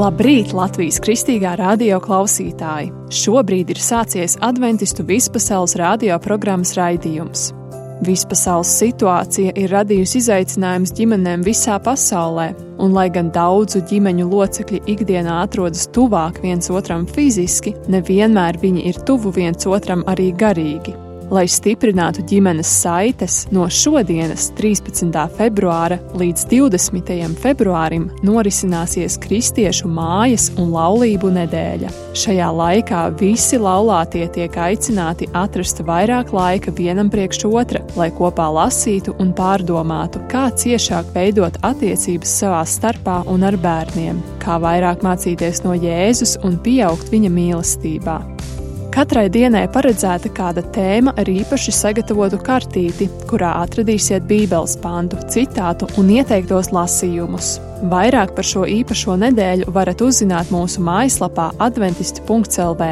Labrīt, Latvijas kristīgā radio klausītāji! Šobrīd ir sācies adventistu vispasaules radio programmas raidījums. Vispasaules situācija ir radījusi izaicinājumus ģimenēm visā pasaulē, un lai gan daudzu ģimeņu locekļi ikdienā atrodas tuvāk viens otram fiziski, nevienmēr viņi ir tuvu viens otram arī garīgi. Lai stiprinātu ģimenes saites, no šodienas, 13. februāra līdz 20. februārim, norisināsies Kristiešu mājas un laulību nedēļa. Šajā laikā visi laulātie tiek aicināti atrast vairāk laika vienam priekš otra, lai kopā lasītu un pārdomātu, kā ciešāk veidot attiecības savā starpā un ar bērniem, kā vairāk mācīties no Jēzus un pieaugt viņa mīlestībā. Katrai dienai paredzēta kāda tēma ar īpaši sagatavotu kartīti, kurā atradīsiet bībeles pantu, citātu un ieteiktos lasījumus. Vairāk par šo īpašo nedēļu varat uzzināt mūsu mājaslapā adventisti.lv.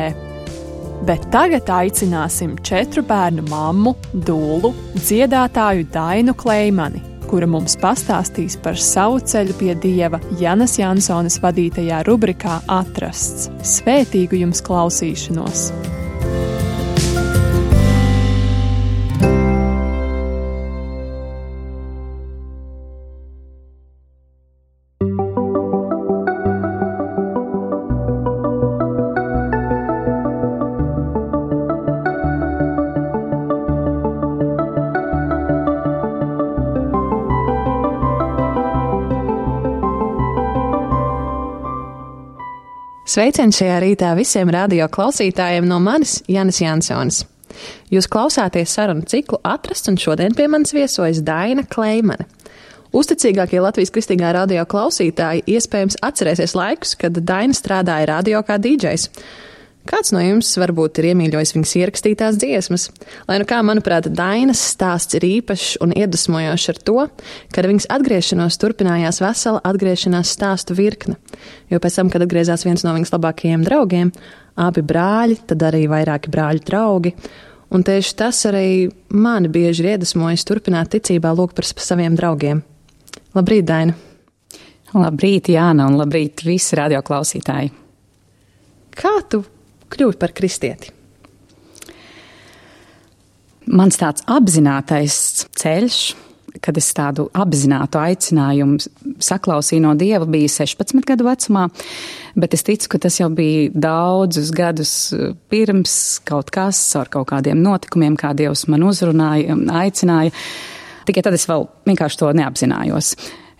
Bet tagad aicināsim 4 bērnu mammu, dūlu, dziedātāju Dainu Kleimani, kura mums pastāstīs par savu ceļu pie Dieva Janas Jansonas vadītajā rubrikā Atrasts. Svētīgu jums klausīšanos! Sveiciens šajā rītā visiem radio klausītājiem no manis, Janas Jansonas. Jūs klausāties sarunu ciklu Atrasts, un šodien pie manis viesojas Daina Kleimane. Uzticīgākie Latvijas kristīgā radio klausītāji iespējams atcerēsies laikus, kad Daina strādāja radio kā DJs. Kāds no jums varbūt ir iemīļojis viņas ierakstītās dziesmas? Lai nu kā, manuprāt, Dainas stāsts ir īpašs un iedvesmojošs ar to, ka ar viņas atgriešanos turpinājās vesela atgriešanās stāstu virkne. Jo pēc tam, kad atgriezās viens no viņas labākajiem draugiem, abi brāļi, tad arī vairāki brāļu draugi, un tieši tas arī mani bieži ir iedvesmojis turpināt ticībā lūgt par saviem draugiem. Labrīt, Daina! Labrīt, Jāna, un labrīt visi radio klausītāji! Kā tu kļūt par kristieti? Mans tāds apzinātais ceļš, kad es tādu apzinātu aicinājumu saklausīju no Dieva, bija 16 gadu vecumā, bet es ticu, ka tas jau bija daudzus gadus pirms kaut kas, ar kaut kādiem notikumiem, kā Dievs man uzrunāja, aicināja. Tikai tad es vēl vienkārši to neapzinājos.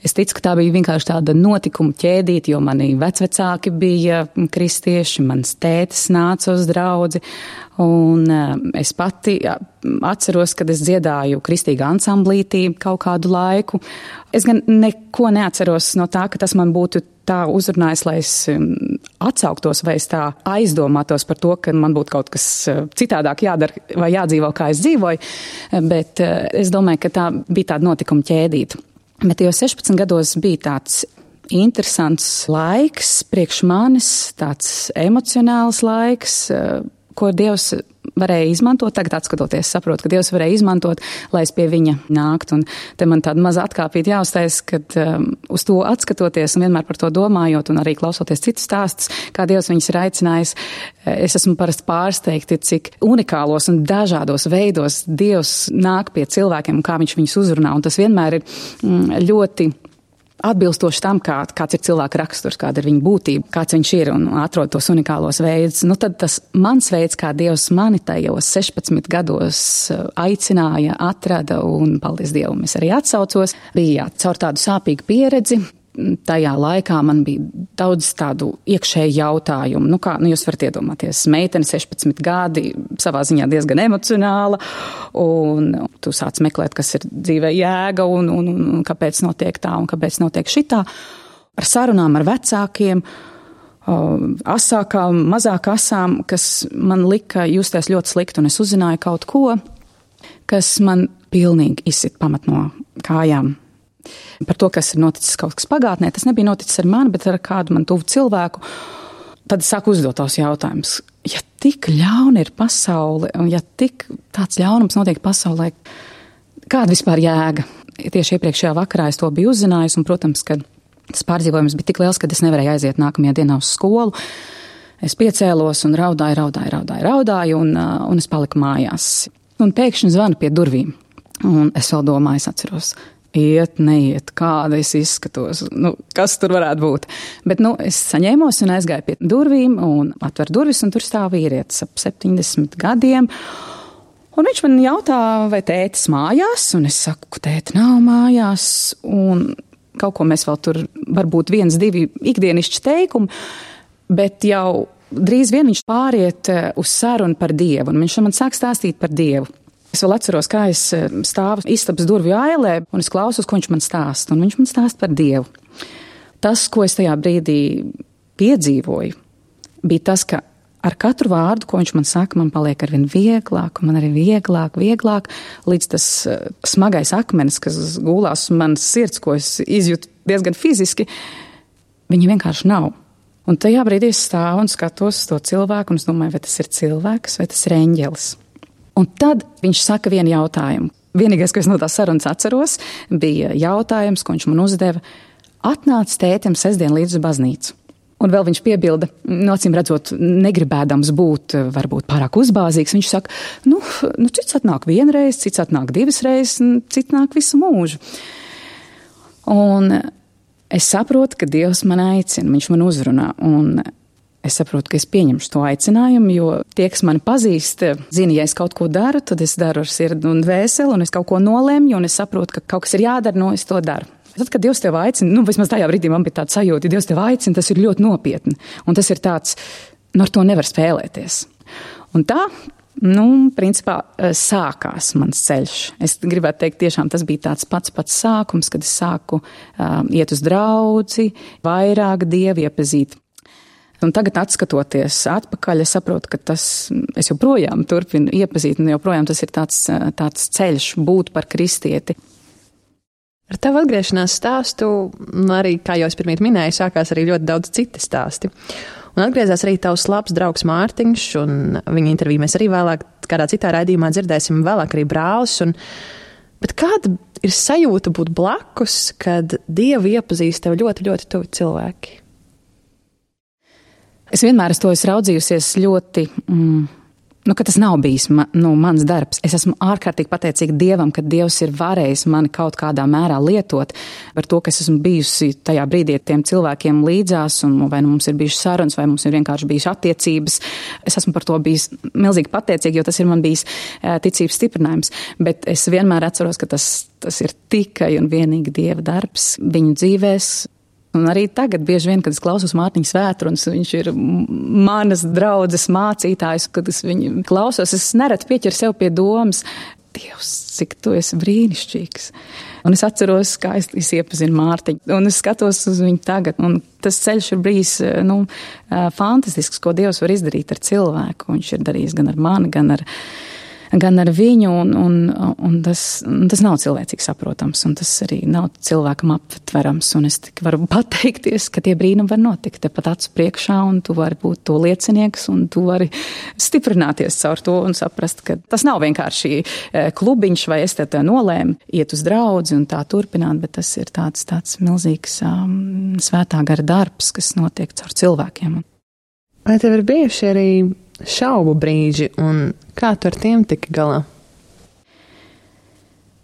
Es ticu, ka tā bija vienkārši tāda notikuma ķēdīte, jo mani vecvecāki bija kristieši, mans tētis nāca uz draudzi, un es pati atceros, kad es dziedāju kristīgā ansamblītī kaut kādu laiku. Es gan neko neatceros no tā, ka tas man būtu tā uzrunājis, lai es atsauktos vai es tā aizdomātos par to, ka man būtu kaut kas citādāk jādara vai jādzīvo, kā es dzīvoju, bet es domāju, ka tā bija tāda notikuma ķēdīte. Bet jau 16 gados bija tāds interesants laiks priekš manis, tāds emocionāls laiks, ko Dievs varēja izmantot. Tagad atskatoties, saprotu, ka Dievs varēja izmantot, lai es pie viņa nāktu. Un te man tāda maza atkāpīta jāuztais, kad uz to atskatoties un vienmēr par to domājot un arī klausoties citus stāstus, kā Dievs viņus ir aicinājis, es esmu parasti pārsteigti, cik unikālos un dažādos veidos Dievs nāk pie cilvēkiem un kā viņš viņus uzrunā. Un tas vienmēr ir ļoti atbilstoši tam, kāds ir cilvēka raksturs, kāda ir viņa būtība, kāds viņš ir un atrod tos unikālos veidus. Nu tad tas mans veids, kā Dievs mani tajos 16 gados aicināja, atrada un, paldies Dievam, es arī atsaucos, bija caur tādu sāpīgu pieredzi. Tajā laikā man bija daudz tādu iekšēju jautājumu. Jūs varat iedomāties, meitene 16 gadi, savā ziņā diezgan emocionāla, un tu sāc meklēt, kas ir dzīvē jēga un kāpēc notiek tā un kāpēc notiek šitā. Ar sarunām ar vecākiem, asākām, mazāk asām, kas man lika justies ļoti slikti, un es uzzināju kaut ko, kas man pilnīgi izsit pamat no kājām. Par to, kas ir noticis kaut kas pagātnē, tas nebija noticis ar mani, bet ar kādu man tuvu cilvēku. Tad es sāku uzdot tos jautājumus. Ja tik ļauna ir pasaule, un ja tik tāds ļaunums notiek pasaulē, kāda vispār jēga? Tieši iepriekšējā vakarā es to biju uzzinājusi, un, protams, kad Tas pārdzīvojums bija tik liels, ka es nevarēju aiziet nākamajā dienā uz skolu. Es piecēlos un raudāju, un es paliku mājās. Un pēkšņi zvana pie durvīm. Un es vēl domāju, es atceros, iet, neiet, kāda es izskatos, kas tur varētu būt. Bet, es saņēmos un aizgāju pie durvīm un atveru durvis, un tur stāv vīrietis ap 70 gadiem. Un viņš man jautā, vai tētis mājās, un es saku, ka tēti nav mājās, un kaut ko mēs vēl tur, varbūt 1-2 ikdienišķi teikumi, bet jau drīz vien viņš pāriet uz sarunu par Dievu, un viņš man sāk stāstīt par Dievu. Es vēl atceros, kā es stāvu istabas durvju ailē, un es klausos, ko viņš man stāsta, un viņš man stāsta par Dievu. Tas, ko es tajā brīdī piedzīvoju, bija tas, ka ar katru vārdu, ko viņš man saka, man paliek arvien vieglāk, un man arī vieglāk, līdz tas smagais akmenis, kas gulās uz manas sirds, ko es izjūtu diezgan fiziski, viņa vienkārši nav. Un tajā brīdī es stāvu un skatos uz to cilvēku, un es domāju, vai tas ir cilvēks, vai tas ir eņģelis. Un tad viņš saka vienu jautājumu. Vienīgais, ko es no tās sarunas atceros, bija jautājums, ko viņš man uzdeva. Atnāc tētim sestdien līdz uz baznīcu. Un vēl viņš piebilda, acīm redzot, negribēdams būt varbūt pārāk uzbāzīgs. Viņš saka, cits atnāk 1 reizi, cits atnāk 2 reizes, cits nāk visu mūžu. Un es saprotu, ka Dievs man aicina, viņš man uzrunā. Un es saprotu, ka es pieņemšu to aicinājumu, jo tie, kas mani pazīst, zina, ja es kaut ko daru, tad es daru ar sirdi un dvēseli, un es kaut ko nolemju, un es saprotu, ka kaut kas ir jādara, es to daru. Tad, kad Dievs tev aicina, vismaz tajā brīdī man bija tāds sajūta, ja Dievs tev aicina, tas ir ļoti nopietni. Un tas ir tāds, ar to nevar spēlēties. Un tā, principā sākās mans ceļš. Es gribētu teikt, tiešām tas bija tāds pats sākums, kad es sāku iet uz draudzi, vairāk Dievu iepazīt. Un tagad, atskatoties atpakaļ, es saprotu, ka es joprojām turpinu iepazīt, un joprojām tas ir tāds ceļš būt par kristieti. Ar tavu atgriešanās stāstu, arī, kā jau es pirmīt minēju, sākās arī ļoti daudz citi stāsti. Un atgriezās arī tavs labs draugs Mārtiņš, un viņa interviju mēs arī vēlāk kādā citā raidījumā dzirdēsim, vēlāk arī brālis. Bet kāda ir sajūta būt blakus, kad Dievu iepazīst tev ļoti, ļoti tuvi cilvēki? Es vienmēr to esmu raudzījusies ļoti... ka tas nav bijis mans darbs. Es esmu ārkārtīgi pateicīga Dievam, ka Dievs ir varējis mani kaut kādā mērā lietot par to, ka es esmu bijusi tajā brīdī tiem cilvēkiem līdzās, un vai mums ir bijušas sarunas, vai mums ir vienkārši bijušas attiecības. Es esmu par to bijis milzīgi pateicīga, jo tas ir man bijis ticības stiprinājums. Bet es vienmēr atceros, ka tas ir tikai un vienīgi Dieva darbs viņu dzīvēs. Un arī tagad bieži vien, kad es klausos Mārtiņa svētrunas, viņš ir manas draudzes mācītājs, kad es viņu klausos, es nereti pieķeru sev pie domas, Dievs, cik tu esi brīnišķīgs. Un es atceros, kā es iepazinu Mārtiņu, un es skatos uz viņu tagad, un tas ceļš ir bijis, fantastisks, ko Dievs var izdarīt ar cilvēku. Viņš ir darījis gan ar mani, gan ar viņu, un tas nav cilvēcīgi saprotams, un tas arī nav cilvēkam aptverams, un es tik varu pateikties, ka tie brīnumi var notikt tepat acu priekšā, un tu vari būt to liecinieks, un tu vari stiprināties caur to un saprast, ka tas nav vienkārši klubiņš, vai es te nolēmu iet uz draudzi un tā turpināt, bet tas ir tāds milzīgs svētā gara darbs, kas notiek caur cilvēkiem. Vai tev ir bijuši arī šaubu brīži, un kā tu ar tiem tiki galā?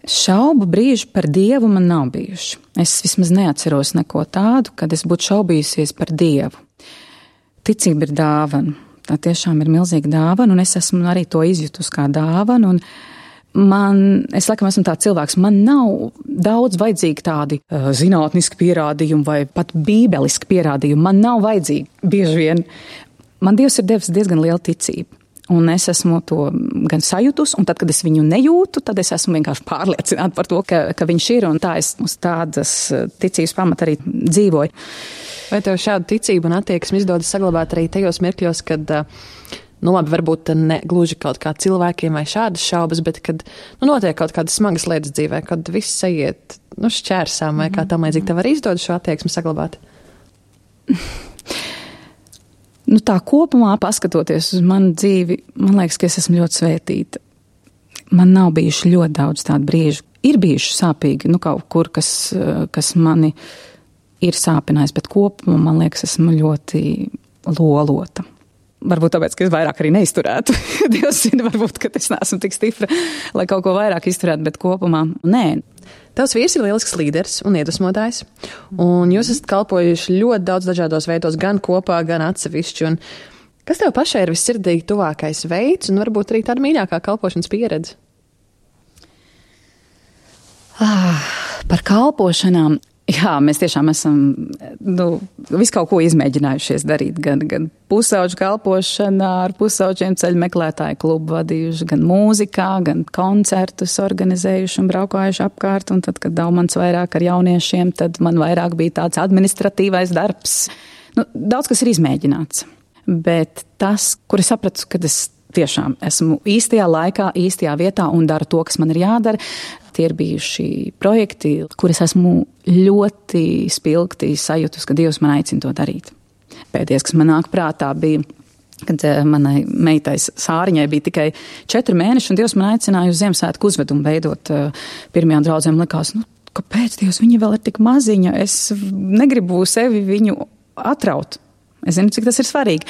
Šaubu brīži par Dievu man nav bijuši. Es vismaz neatceros neko tādu, kad es būtu šaubījusies par Dievu. Ticība ir dāvana. Tā tiešām ir milzīga dāvana, un es esmu arī to izjutus kā dāvanu, un es laikam esmu tāds cilvēks, man nav daudz vajadzīgi tādi zinātniski pierādījumi vai pat bībeliski pierādījumi. Man nav vajadzīgi bieži vien. Man Dievs ir devis diezgan lielu ticību, un es esmu to gan sajutus, un tad, kad es viņu nejūtu, tad es esmu vienkārši pārliecināta par to, ka viņš ir, un tā es uz tādas ticības pamata arī dzīvoju. Vai tev šādu ticību un attieksmi izdodas saglabāt arī tajos mirkļos, kad, varbūt ne gluži kaut kā cilvēkiem vai šādas šaubas, bet kad, notiek kaut kādas smagas lietas dzīvē, kad viss aiziet, šķērsām vai kā tam līdzīgi, tev arī izdodas šo attieksmi saglabāt? Tā kopumā, paskatoties uz manu dzīvi, man liekas, ka es esmu ļoti svētīta. Man nav bijuši ļoti daudz tādu brīžu. Ir bijuši sāpīgi, kaut kur, kas mani ir sāpinājis, bet kopumā, man liekas, esmu ļoti lolota. Varbūt tāpēc, ka es vairāk arī neizturētu. Dievs zina, varbūt, ka es neesmu tik stipra, lai kaut ko vairāk izturētu, bet kopumā nē. Tavs vīrs ir lielisks līderis un iedvesmotājs, un jūs esat kalpojuši ļoti daudz dažādos veidos, gan kopā, gan atsevišķi. Un kas tev pašai ir vissirdīgi tuvākais veids, un varbūt arī tāda mīļākā kalpošanas pieredze? Par kalpošanām. Jā, mēs tiešām esam visu kaut ko izmēģinājušies darīt, gan pusauģu kalpošanā, ar pusauģiem ceļu meklētāju klubu vadījuši, gan mūzikā, gan koncertus organizējuši un braukājuši apkārt, un tad, kad Daumans vairāk ar jauniešiem, tad man vairāk bija tāds administratīvais darbs. Daudz kas ir izmēģināts, bet tas, kur es sapratu, kad es tiešām esmu īstajā laikā, īstajā vietā un daru to, kas man ir jādara. Tie ir bijuši projekti, kur es esmu ļoti spilgti sajūtus, ka Dievs man aicina to darīt. Pēdējais, kas man nāk prātā, bija, kad manai meitai Sāriņai bija tikai 4 mēneši, un Dievs man aicināja uz Ziemassvētku uzvedumu veidot pirmajām draudzēm. Likās, kāpēc Dievs, viņa vēl ir tik maziņa, es negribu sevi viņu atraut. Es zinu, cik tas ir svarīgi,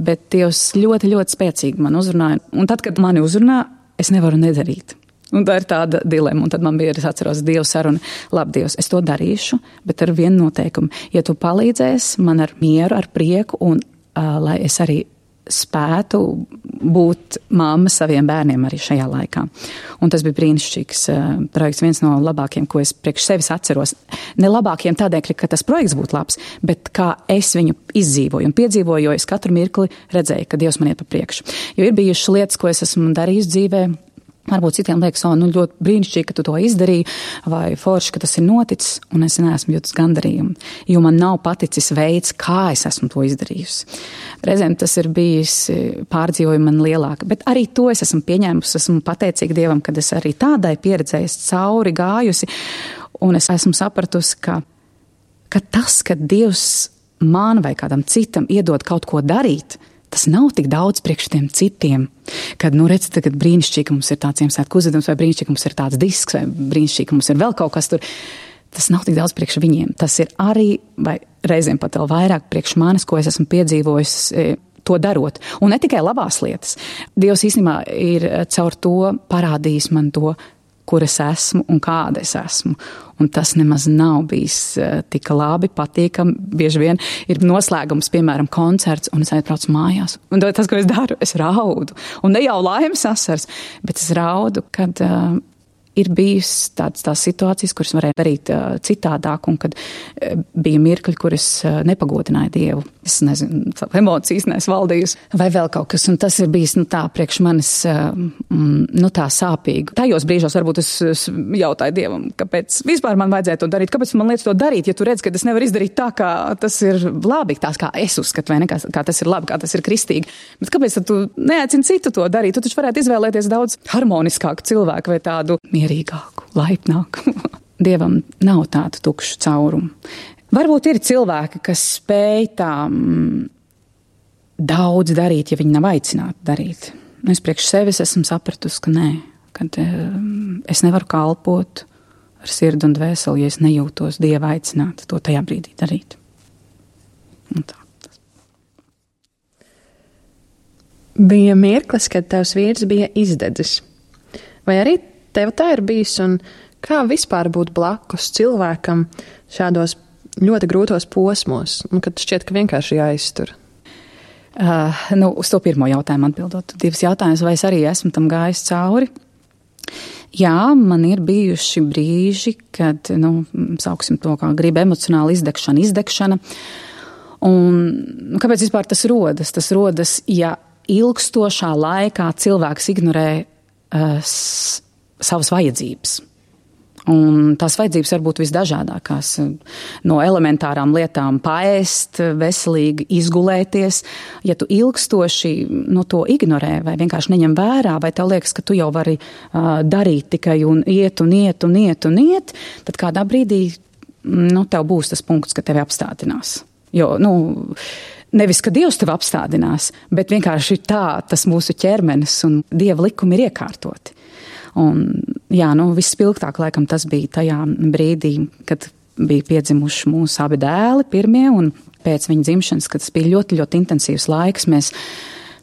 bet Dievs ļoti, ļoti spēcīgi man uzrunāja. Un tad, kad mani uzrunā, es nevaru nedarīt. Un tā ir tāda dilema. Un tad man bija, es atceros Dievu sarunu, labi, Dievs, es to darīšu, bet ar vienu noteikumu. Ja tu palīdzēsi man ar mieru, ar prieku, un lai es arī spētu būt mamma saviem bērniem arī šajā laikā. Un tas bija brīnišķīgs projekts, viens no labākiem, ko es priekš sevis atceros. Ne labākiem tādēļ, ka tas projekts būtu labs, bet kā es viņu izdzīvoju un piedzīvoju, jo es katru mirkli redzēju, ka Dievs man iet pa priekšu. Jo ir bijušas lietas, ko es esmu darījis dzīvē, varbūt citiem liekas, ļoti brīnišķīgi, ka tu to izdarīji, vai forši, ka tas ir noticis, un es neesmu jūtas gandarījumu, jo man nav paticis veids, kā es esmu to izdarījusi. Reizēm tas ir bijis pārdzīvojumi man lielāka, bet arī to es esmu pieņēmusi, esmu pateicīga Dievam, kad es arī tādai pieredzēju cauri gājusi, un es esmu sapratusi, ka tas, ka Dievs man vai kādam citam iedod kaut ko darīt, tas nav tik daudz priekš tiem citiem, kad, redz, tagad brīnišķīgi mums ir tāds Ziemassvētku uzvedums, vai brīnišķīgi mums ir tāds disks, vai brīnišķīgi mums ir vēl kaut kas tur. Tas nav tik daudz priekš viņiem. Tas ir arī, vai reizēm pat vēl vairāk priekš manis, ko es esmu piedzīvojis to darot. Un ne tikai labās lietas. Dievs īstenībā ir caur to parādījis man to, kur es esmu un kāda es esmu. Un tas nemaz nav bijis tik labi, patīkami. Bieži vien ir noslēgums, piemēram, koncerts, un es aizbraucu mājās. Un tas, ko es daru, es raudu. Un ne jau laimes asars, bet es raudu, kad ir bijis tās situācijas, kuras varēja darīt citādāk, un kad bija mirkļi, kur es nepagodināju Dievu. Es nezinu, emocijas nes valdījusi, vai vēl kaut kas, un tas ir bijis, tā priekš manis, tā sāpīgi. Tajos brīžos varbūt es jautāju Dievam, kāpēc vispār man vajadzēja to darīt, kāpēc man liekas to darīt, ja tu redz, ka es nevaru izdarīt tā, kā tas ir labi, tās kā es uzskatu, vai ne, kā tas ir labi, kā tas ir kristīgi. Bet kāpēc tad tu neaicini citu to darīt? Tu taču varētu izvēlēties daudz harmoniskāku cilvēku vai tādu mierīgāku, laipnāku. Dievam nav tādu tukšu caurumu. Varbūt ir cilvēki, kas spēj tā daudz darīt, ja viņi nav aicināti darīt. Es priekš sevis esmu sapratusi, ka nē, kad es nevaru kalpot ar sirdi un dvēseli, ja es nejūtos Dieva aicināta to tajā brīdī darīt. Un tā. Bija mirklis, kad tavs vīrs bija izdedzis. Vai arī tev tā ir bijis, un kā vispār būt blakus cilvēkam šādos ļoti grūtos posmos, un kad šķiet, ka vienkārši jāiztur? Uz to pirmo jautājumu atbildot. 2 jautājumus, vai es arī esmu tam gājis cauri? Jā, man ir bijuši brīži, kad, sauksim to, kā grib emocionāli izdegšana. Un kāpēc vispār tas rodas? Tas rodas, ja ilgstošā laikā cilvēks ignorē savas vajadzības. Un tās vajadzības var būt visdažādākās. No elementārām lietām paēst, veselīgi izgulēties. Ja tu ilgstoši to ignorē vai vienkārši neņem vērā, vai tev liekas, ka tu jau vari darīt tikai un iet, tad kādā brīdī tev būs tas punkts, ka tevi apstādinās. Jo, nevis, ka Dievs tevi apstādinās, bet vienkārši tā tas mūsu ķermenis un Dieva likumi ir iekārtoti. Un, jā, vispilgtāk laikam tas bija tajā brīdī, kad bija piedzimuši mūsu abi dēli pirmie, un pēc viņa dzimšanas, kad tas bija ļoti, ļoti intensīvs laiks, mēs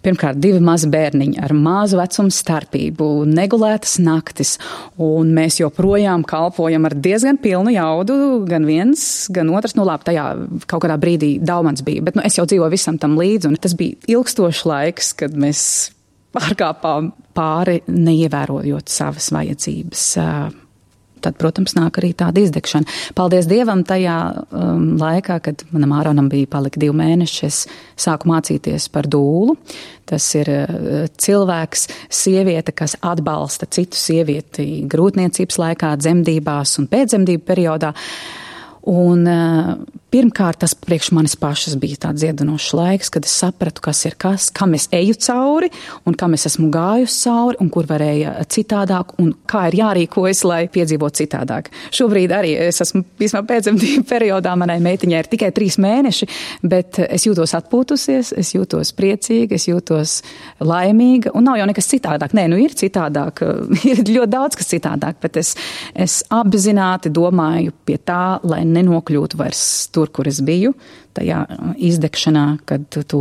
pirmkārt 2 mazi bērniņi ar mazu vecumu starpību, negulētas naktis, un mēs joprojām kalpojam ar diezgan pilnu jaudu, gan viens, gan otrs, labi, tajā kaut kādā brīdī Daumans bija, bet es jau dzīvoju visam tam līdzi, un tas bija ilgstošs laiks, kad mēs pārkāpām pāri, neievērojot savas vajadzības. Tad, protams, nāk arī tāda izdegšana. Paldies Dievam tajā laikā, kad manam Āronam bija palika 2 mēneši, es sāku mācīties par dūlu. Tas ir cilvēks, sieviete, kas atbalsta citu sievieti grūtniecības laikā, dzemdībās un pēcdzemdību periodā. Un pirmkārt, tas priekš manis pašas bija tāds dziedinošs laiks, kad es sapratu, kas ir kas, kam es eju cauri un kam es esmu gājusi cauri un kur varēja citādāk un kā ir jārīkojas, lai piedzīvot citādāk. Šobrīd arī es esmu vismaz pēcdzemdību periodā, manai meitiņai ir tikai 3 mēneši, bet es jūtos atpūtusies, es jūtos priecīga, es jūtos laimīga un nav jau nekas citādāk. Nē, ir citādāk, ir ļoti daudz kas citādāk, bet es apzināti domāju pie tā, lai nenokļūtu vairs tur, kur es biju, tajā izdegšanā, kad tu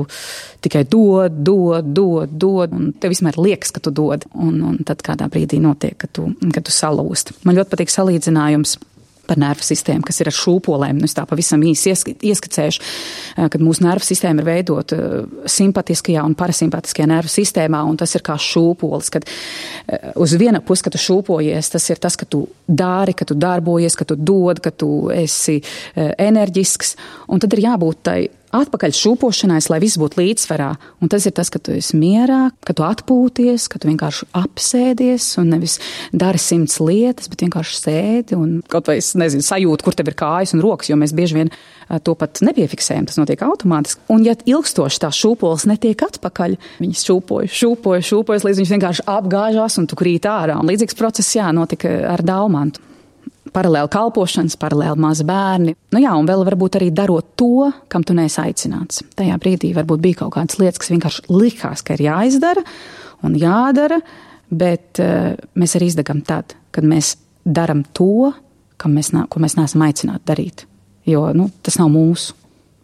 tikai dod, un tev vismēr liekas, ka tu dod, un tad kādā brīdī notiek, ka tu salūst. Man ļoti patīk salīdzinājums par nervu sistēmu, kas ir ar šūpolēm. Es tā pavisam īsi ieskicēšu, kad mūsu nervu sistēma ir veidota simpatiskajā un parasimpatiskajā nervu sistēmā, un tas ir kā šūpolis, kad uz viena pusi, kad tu šūpojies, tas ir tas, ka tu dari, ka tu darbojies, ka tu dod, ka tu esi enerģisks, un tad ir jābūt tai atpakaļ šūpošanais, lai viss būtu līdzsvarā. Un tas ir tas, ka tu esi mierā, ka tu atpūties, ka tu vienkārši apsēdies un nevis dari 100 lietas, bet vienkārši sēdi un kaut vai, sajūti, kur tev ir kājas un rokas, jo mēs bieži vien to pat nepiefiksējam, tas notiek automātiski. Un ja ilgstoši tā šūpols netiek atpakaļ, viņas šūpojas, līdz viņas vienkārši apgāžās un tu krīt ārā. Un līdzīgs process, notika ar Daumantu. Paralēli kalpošanas, paralēli mazi bērni. Un vēl varbūt arī darot to, kam tu neesi aicināts. Tajā brīdī varbūt bija kaut kādas lietas, kas vienkārši likās, ka ir jāizdara un jādara, bet mēs arī izdegam tad, kad mēs daram to, ko mēs neesam aicināti darīt. Jo tas nav mūsu.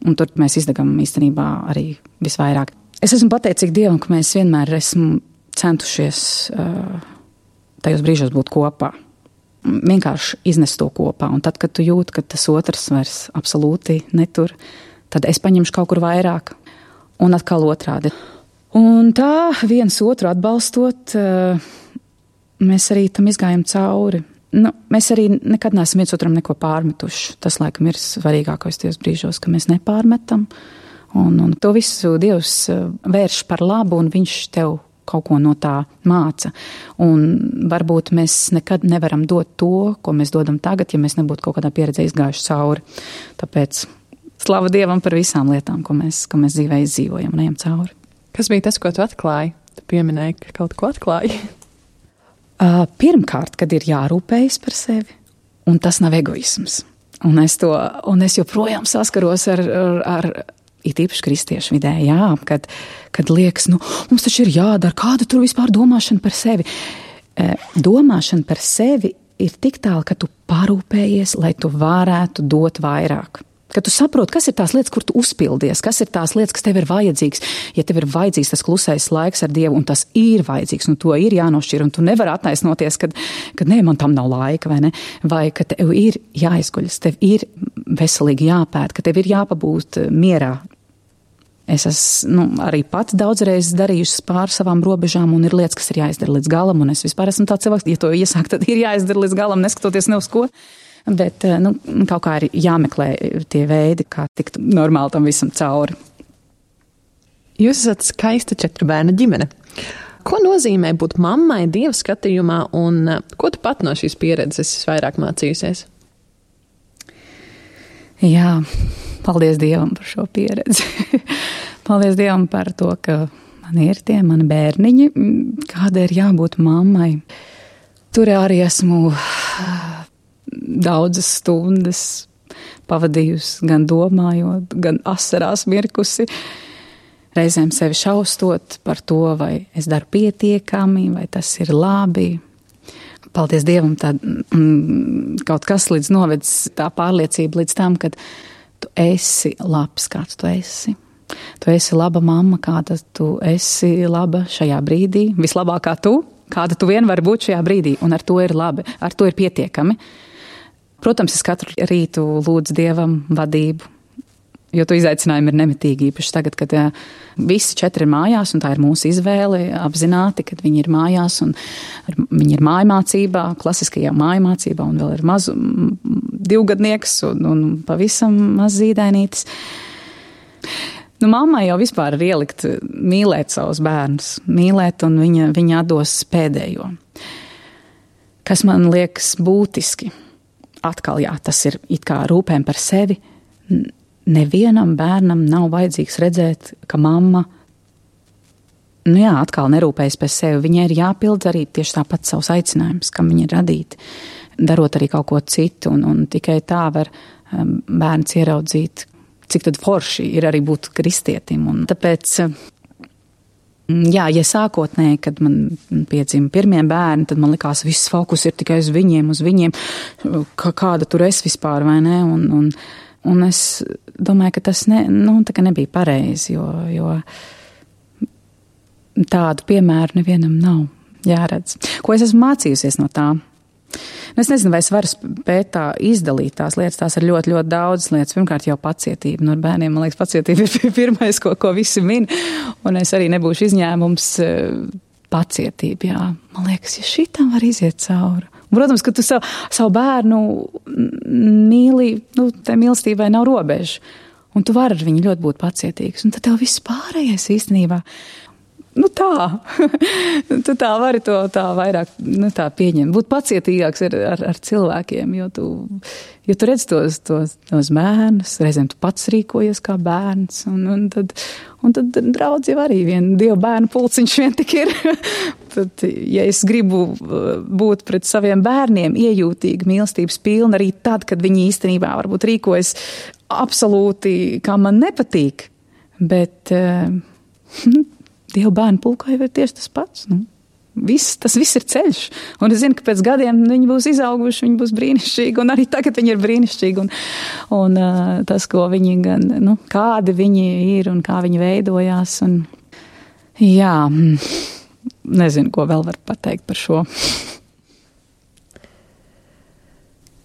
Un tur mēs izdegam īstenībā arī visvairāk. Es esmu pateicīga Dievam, ka mēs vienmēr esam centušies tajos brīžos būt kopā. Vienkārši iznest to kopā, un tad, kad tu jūti, ka tas otrs vairs absolūti netur, tad es paņemšu kaut kur vairāk, un atkal otrādi. Un tā viens otru atbalstot, mēs arī tam izgājam cauri. Mēs arī nekad neesam viens otram neko pārmetuši. Tas, laikam, ir svarīgākais tajos brīžos, ka mēs nepārmetam, un to visu Dievs vērš par labu, un viņš tev kaut ko no tā māca. Un varbūt mēs nekad nevaram dot to, ko mēs dodam tagad, ja mēs nebūtu kaut kādā pieredzē izgājuši cauri. Tāpēc slava Dievam par visām lietām, ko mēs dzīvē izdzīvojam un ejam cauri. Kas bija tas, ko tu atklāji? Tu pieminēji, ka kaut ko atklāji. Pirmkārt, kad ir jārūpējas par sevi, un tas nav egoisms. Un es joprojām saskaros ar it īpaši kristiešu vidē, kad liekas, mums taču ir jādara, kāda tur vispār domāšana par sevi. Domāšana par sevi ir tik tālu, ka tu parūpējies, lai tu varētu dot vairāk. Kad tu saproti, kas ir tās lietas, kur tu uzpildies, kas ir tās lietas, kas tev ir vajadzīgs. Ja tev ir vajadzīgs tas klusais laiks ar Dievu, un tas ir vajadzīgs, un to ir jānošķir, un tu nevari attaisnoties, kad nē, man tam nav laika, vai ne? Vai ka tev ir jāizguļas, tev ir veselīgi jāpēt, ka tev ir jāpabūt mierā. Es esmu arī pats daudzreiz darījusi pāri savām robežām, un ir lietas, kas ir jāizdara līdz galam, un es vispār esmu tāds cilvēks, ja to iesāk, tad ir jāizdara līdz galam, neskatoties ne uz ko. Bet kaut kā ir jāmeklē tie veidi, kā tikt normāli tam visam cauri. Jūs esat skaista 4 bērnu ģimene. Ko nozīmē būt mammai Dieva skatījumā, un ko tu pat no šīs pieredzes vairāk mācījusies? Jā, paldies Dievam par šo pieredzi. Paldies Dievam par to, ka man ir tie mani bērniņi, kāda ir jābūt mammai. Tur arī esmu daudzas stundas pavadījusi, gan domājot, gan asarās mirkusi, reizēm sevi šaustot par to, vai es daru pietiekami, vai tas ir labi. paldies Dievam, kaut kas līdz novedis tā pārliecība līdz tam, ka tu esi labs, kāds tu esi. Tu esi laba mamma, kāda tu esi laba šajā brīdī, vislabākā tu, kāda tu vien vari būt šajā brīdī, un ar to ir labi, ar to ir pietiekami. Protams, es katru rītu lūdzu Dievam vadību, jo tu izaicinājumi ir nemitīgi, īpaši tagad, kad visi 4 ir mājās, un tā ir mūsu izvēle apzināti, kad viņi ir mājās, un viņi ir mājmācībā, klasiskajā mājmācībā, un vēl ir mazu 2-gadnieks, un pavisam maz zīdainītis. Nu, mammai jau vispār ir ielikt mīlēt savus bērnus, mīlēt, un viņa atdos pēdējo. Kas man liekas būtiski, atkal jā, tas ir it kā rūpēm par sevi. Nevienam bērnam nav vajadzīgs redzēt, ka mamma, atkal nerūpējas par sevi. Viņai ir jāpild arī tieši tāpat savus aicinājumus, kam viņa ir radīta, darot arī kaut ko citu, un tikai tā var bērns ieraudzīt, cik tad forši ir arī būt kristietim. Un tāpēc, ja sākotnēji, kad man piedzima pirmie bērni, tad man likās, viss fokus ir tikai uz viņiem, kāda tur es vispār, vai ne? Un es domāju, ka tas nebija pareizi, jo tādu piemēru nevienam nav jāredz. Ko es esmu mācījusies no tā? Es nezinu, vai es varu spēt tā izdalīt tās lietas, tās ir ļoti, ļoti daudzas lietas. Pirmkārt jau pacietība. No bērniem, man liekas, pacietība ir pirmais, ko visi min, un es arī nebūšu izņēmums pacietība, jā. Man liekas, ja šitam var iziet cauri. Protams, ka tu savu bērnu mīli, tai mīlestībai nav robežu, un tu vari ar viņu ļoti būt pacietīgs, un tad tev viss pārējais īstenībā, tu tā vari to tā vairāk, tā pieņemt, būt pacietīgāks ar cilvēkiem, jo tu redz tos bērnus, reizēm tu pats rīkojies kā bērns, un tad draudz jau arī Dieva bērnu pulciņš vien tik ir. Tad, ja es gribu būt pret saviem bērniem iejūtīgi, mīlestības pilni, arī tad, kad viņi īstenībā varbūt rīkojas absolūti, kā man nepatīk, bet Dieva bērnu pulkā jau ir tieši tas pats. Tas viss ir ceļš. Un es zinu, ka pēc gadiem viņi būs izauguši, viņi būs brīnišķīgi, un arī tagad viņi ir brīnišķīgi. Un tas, ko viņi gan, kādi viņi ir un kā viņi veidojās. Un, jā, nezinu, ko vēl var pateikt par šo.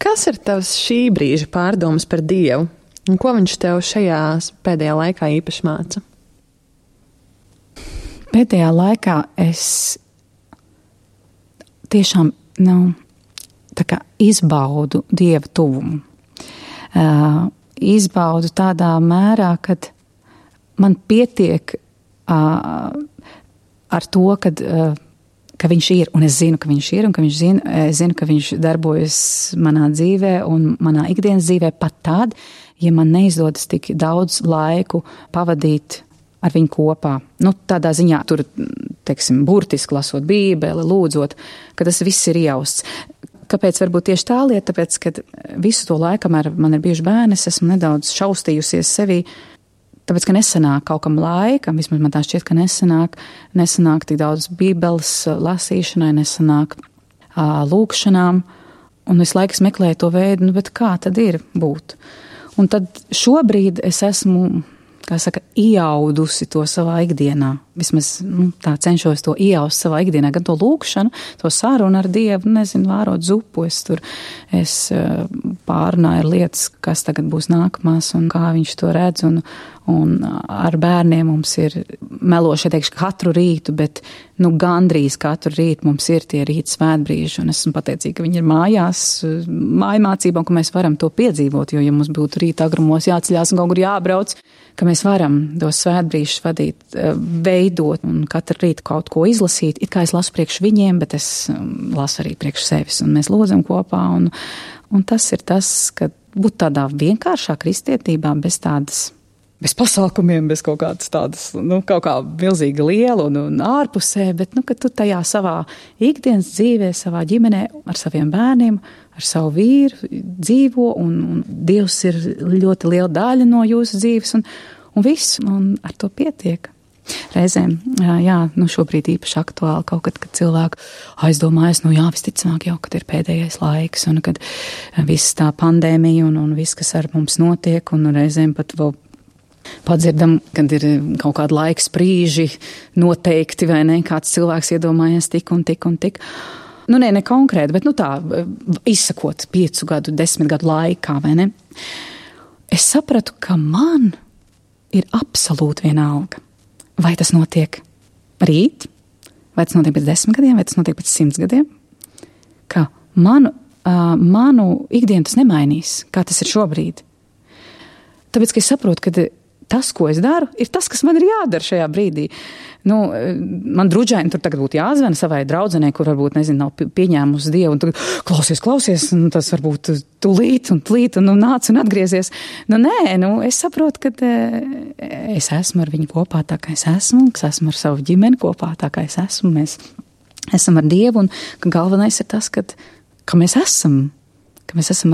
Kas ir tavs šī brīža pārdomas par Dievu? Un ko viņš tev šajā pēdējā laikā īpaši māca? Pēdējā laikā es tiešām tā kā izbaudu Dieva tuvumu. Izbaudu tādā mērā, kad man pietiek ar to, ka viņš ir, un es zinu, ka viņš ir, un ka es zinu, ka viņš darbojas manā dzīvē un manā ikdienas dzīvē pat tad, ja man neizdodas tik daudz laiku pavadīt ar viņu kopā. Tādā ziņā tur, teiksim, burtiski lasot Bībeli, lūdzot, ka tas viss ir iejausts. Kāpēc varbūt tieši tā lieta? Tāpēc, ka visu to laiku, kamēr man ir bijuši bērni, es esmu nedaudz šaustījusies sevī, tāpēc, ka nesanāk kaut kam laikam, vismaz man tā šķiet, ka nesanāk tik daudz Bībeles lasīšanai, nesanāk lūkšanām, un visu laiku es meklēju to veidu, bet kā tad ir būt? Un tad šobrīd es esmu, iaudusi to savā ikdienā. Vismaz tā cenšos to ieaust savā ikdienā, gan to lūkšanu, to sarunu ar Dievu, vārot zupu, es pārunāju lietas, kas tagad būs nākamās un kā viņš to redz, un ar bērniem mums ir meloši, teikšu, katru rītu, bet gandrīz katru rītu mums ir tie rīta svētbrīži, un esmu pateicīga, ka viņi ir mājās, mājmācībā, un ka mēs varam to piedzīvot, jo ja mums būtu rīta agrumos jāceļās un kaut kur jābrauc, ka mēs varam tos svētbrīžus vadīt, veidot un katru rītu kaut ko izlasīt. It kā es lasu priekš viņiem, bet es lasu arī priekš sevis, un mēs lūdzam kopā, un tas ir tas, ka būt tādā vienkāršā kristietībā bez pasākumiem, bez kaut kādas tādas, kaut kā milzīga liela un ārpusē, bet, ka tu tajā savā ikdienas dzīvē, savā ģimenē, ar saviem bērniem, ar savu vīru dzīvo, un Dievs ir ļoti liela daļa no jūsu dzīves, un viss, un ar to pietiek. Reizēm, šobrīd īpaši aktuāli kaut kad cilvēku aizdomājas, visticamāk jau, kad ir pēdējais laiks un kad viss tā pandēmija un viss, kas ar mums notiek, un reizēm pat vēl padzirdam, kad ir kaut kādi laiks brīži noteikti, vai ne, kāds cilvēks iedomājies tik un tik un tik. Ne konkrēti, bet tā, izsakot 5 gadu, 10 gadu laikā, vai ne? Es sapratu, ka man ir absolūti vienalga. Vai tas notiek rīt, vai tas notiek pēc 10 gadiem, vai tas notiek pēc 100 gadiem, ka manu ikdienu tas nemainīs, kā tas ir šobrīd. Tāpēc, ka es saprotu, ka tas, ko es daru, ir tas, kas man ir jādara šajā brīdī. Man druģaini tur tagad būtu jāzvana savai draudzenei, kur varbūt, nav pieņēmusi Dievu, un tagad klausies, un tas varbūt tūlīt un nāc un atgriezies. Es saprotu, ka es esmu ar viņu kopā tā, kā es esmu, ka esmu ar savu ģimeni kopā tā, kā es esmu. Mēs esam ar Dievu, un ka galvenais ir tas, ka mēs esam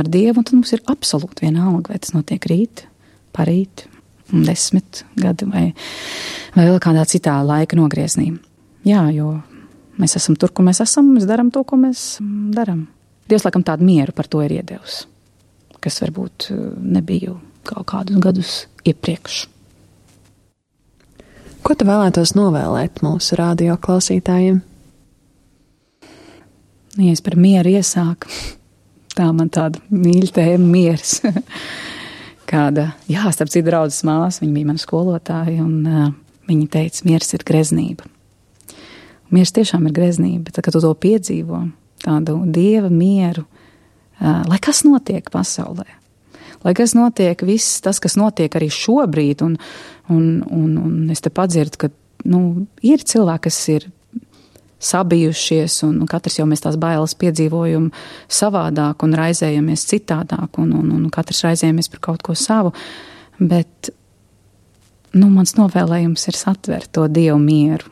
ar Dievu, un tad mums ir absolūti vienalga, vai tas notiek rīt, parīt, 10 gadi vai vēl kādā citā laika nogrieznī. Jā, jo mēs esam tur, kur mēs esam, mēs darām to, ko mēs darām. Dievs laikam tādu mieru par to ir iedevis, kas varbūt nebija kaut kādus gadus iepriekš. Ko tu vēlētos novēlēt mūsu radio klausītājiem? Ja es par mieru iesāku, tā man tāda mīļa tēma miers. Starp citu draudzes māsa, viņa bija mana skolotāja, un viņa teica, miers ir greznība. Miers tiešām ir greznība, tad, kad tu to piedzīvo, tādu Dieva mieru, lai kas notiek pasaulē, lai kas notiek, viss tas, kas notiek arī šobrīd, un es te padzirdu, ka, ir cilvēki, kas ir sabijušies, un katrs jau mēs tās bailes piedzīvojam savādāk un raizējamies citādāk, un katrs raizējamies par kaut ko savu, bet, mans novēlējums ir satvert to Dievu mieru,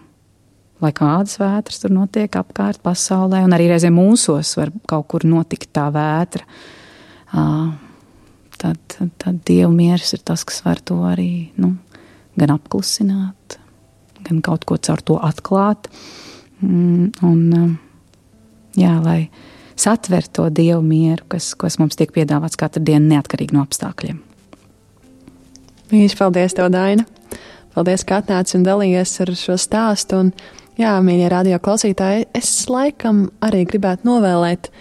lai kādas vētras tur notiek apkārt pasaulē, un arī reizē mūsos var kaut kur notikt tā vētra, tad Dievu miers ir tas, kas var to arī, gan apklusināt, gan kaut ko caur to atklāt, lai satver to Dievu mieru, kas mums tiek piedāvāts katru dienu neatkarīgi no apstākļiem. Mīļš, paldies tev, Daina. Paldies, ka atnāci un dalījies ar šo stāstu. Un, mīļie radio klausītāji, es laikam arī gribētu novēlēt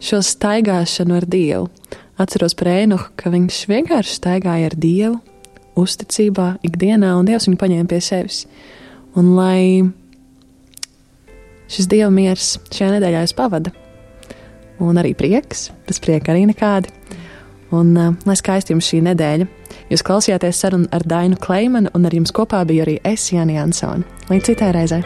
šo staigāšanu ar Dievu. Atceros par Ēnohu, ka viņš vienkārši staigāja ar Dievu, uzticībā, ikdienā, un Dievs viņu paņēma pie sevis. Un lai šis Dieva miers šajā nedēļā jūs pavada. Un arī prieks, bez prieka arī nekādi. Un lai skaisti jums šī nedēļa. Jūs klausījāties sarunu ar Dainu Kleimanu, un ar jums kopā biju arī es, Jāni Jansone. Līdz citai reizei!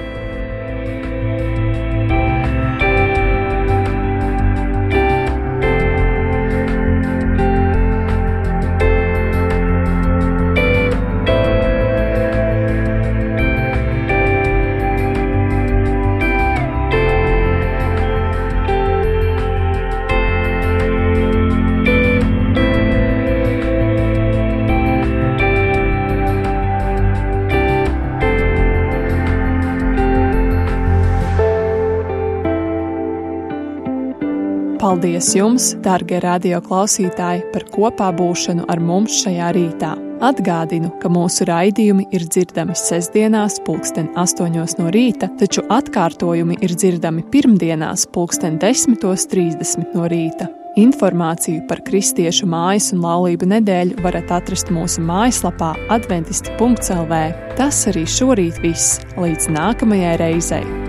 Paldies jums, dārgie radio klausītāji, par kopā būšanu ar mums šajā rītā. Atgādinu, ka mūsu raidījumi ir dzirdami sestdienās 8:00 no rīta, taču atkārtojumi ir dzirdami pirmdienās 10:30 no rīta. Informāciju par Kristiešu mājas un laulību nedēļu varat atrast mūsu mājaslapā adventisti.lv. Tas arī šorīt viss. Līdz nākamajai reizei!